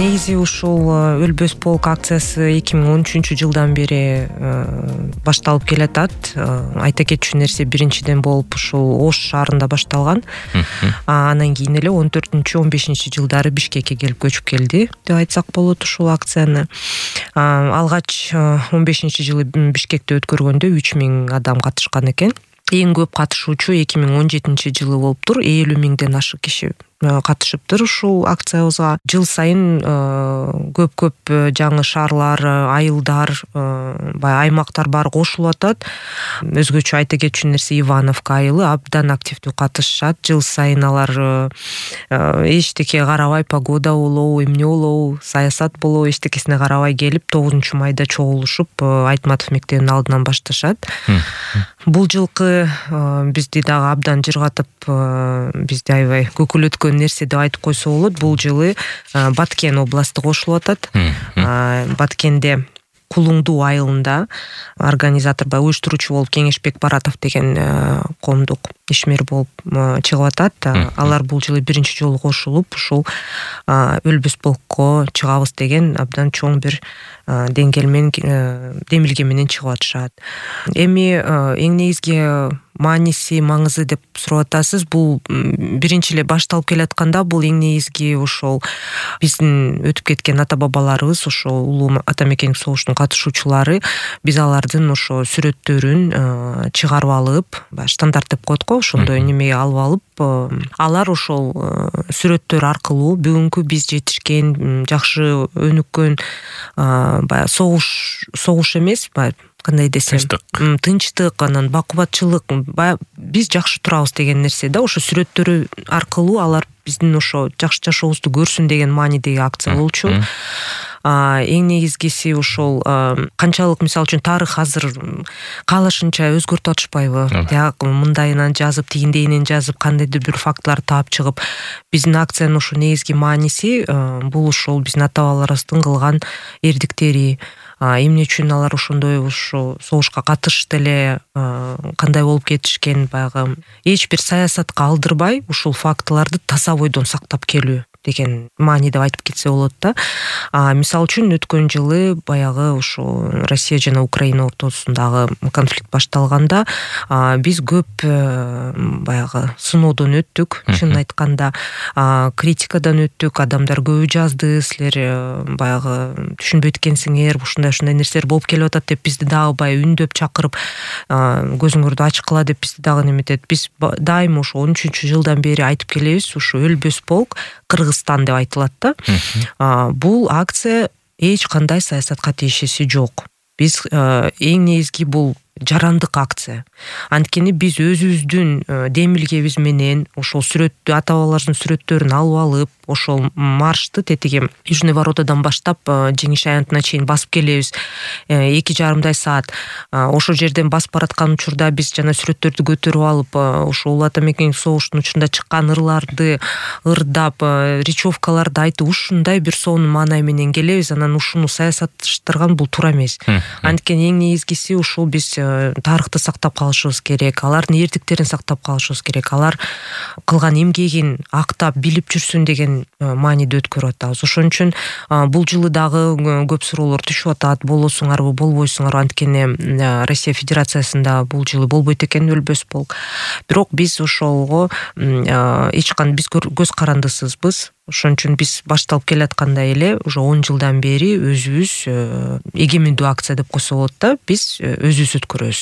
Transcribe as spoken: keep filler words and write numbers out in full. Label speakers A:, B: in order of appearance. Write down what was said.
A: негизи ушул Өлбөс полк акциясы эки миң он үчүнчү жылдан бери башталып келатат. Айта кетчү нерсе, биринчиден болуп ушул Ош шаарында башталган. Анан кийин эле он төртүнчү он бешинчи жылдары Бишкекке келип көчүп келди деп айтсак болот ушул акцияны. Алгач он бешинчи жылы Бишкекте өткөргөндө үч миң адам катышкан экен. Эң көп катышуучу эки миң он жетинчи жылы болуптур. элүү миңден ашык киши катышыптыр ушул акциябызга. Жыл сайын көп-көп жаңы шаарлар, айылдар, баягы аймактар баары кошулуп атат. Өзгөчө айта кетчү нерсе, Ивановка айылы абдан активдүү катышышат. Жыл сайын алар эчтеке карабай, погода болобу, эмне болобу, саясат болобу, эчтекесине карабай келип тогузунчу майда чогулушуп Айтматов мектебинин алдынан башташат. Бул жылкы бизди дагы абдан жыргатып, бизди аябай көкүлөткөн нерсе деп айтып койсо болот. Бул жылы Баткен областы кошулуп атат. Баткенде Кулуңдуу айылында организатор, баягы уюштуруучу болуп Кеңешбек Баратов деген коомдук ишмер болуп чыгып атат. Алар бул жылы биринчи жолу кошулуп ушул Өлбөс полкко чыгабыз деген абдан чоң бир деңгэл менен, демилге менен чыгып атышат. Эми эң негизги мааниси, маңызы деп сурап атасыз. Бул биринчи эле башталып келатканда бул эң негизги ошол биздин өтүп кеткен ата бабаларыбыз, ошол улуу ата мекендик согуштун катышуучулары, биз алардын ошо сүрөттөрүн чыгарып алып, штандарт деп коет го, ошондой немеге алып алып, алар ошол сүрөттөр аркылуу бүгүнкү биз жетишкен, жакшы өнүккөн, баягы согуш согуш эмес, баягы кандай десем, тынчтык, анан бакубатчылык, баягы биз жакшы турабыз деген нерсе да, ошо сүрөттөрү аркылуу алар биздин ошо жакшы жашообузду көрсүн деген маанидеги акция болчу. Эң негизгиси ошол канчалык, мисалы үчүн, тарых азыр каалашынча өзгөртүп атышпайбы? Тияк мындайынан жазып, тигиндейинен жазып, кандайдыр бир фактыларды таап чыгып, биздин акциянын ошо негизги мааниси бул ошол биздин ата бабаларыбыздын кылган эрдиктери. Эмне үчүн алар ошондой ошо согушка катышты эле, кандай болуп кетишкен, баягы эч бир саясатка алдырбай ушул фактыларды таза бойдон сактап келүү деген маани деп айтып кетсе болот да. Мисалы үчүн өткөн жылы баягы ошо Россия жана Украина ортосундагы конфликт башталганда биз көп баягы сыноодон өттүк, чынын айтканда критикадан өттүк, адамдар көбү жазды, силер баягы түшүнбөйт экенсиңер, ушундай ушундай нерселер болуп келип атат деп бизди дагы баягы үндөп чакырып, көзүңөрдү ачкыла деп бизди дагы неметет. Биз дайыма ошо он үчүнчү жылдан бери айтып келебиз, ушу Өлбөс полк Кыргызстан деп айтылат да. Бул акция эч кандай саясатка тиешеси жок. Биз эң негизги бул жарандык акция. Анткени биз өзүбүздүн демилгебиз менен ошол сүрөттү, ата бабаларыбыздын сүрөттөрүн алып алып, ошол маршты тетиги Южный воротадан баштап Жеңиш аянтына чейин басып келебиз. эки жарымдай саат. Ошол жерден басып бараткан учурда биз жана сүрөттөрдү көтөрүп алып, ошол улуу ата мекендик согуштун учурунда чыккан ырларды ырдап, речевкаларды айтып, ушундай бир сонун маанай менен келебиз. Анан ушуну саясатташтырган бул туура эмес. Анткени эң негизгиси ушул биз тарыхты сактап калышыбыз керек, алардын эрдиктерин сактап калышыбыз керек, алар кылган эмгегин актап билип жүрсүн деген мааниде өткөрүп атабыз. Ошон үчүн бул жылы дагы көп суроолор түшүп атат, болосуңарбы, болбойсуңарбы? Анткени Россия Федерациясында бул жылы болбойт экен Өлбөс полк. Бирок биз ошолго эч кандай биз көз карандысызбыз. Ошон үчүн биз башталып келаткандай эле уже он жылдан бери өзүбүз эгемендүү акция деп койсо болот да, биз өзүбүз өткөрөбүз.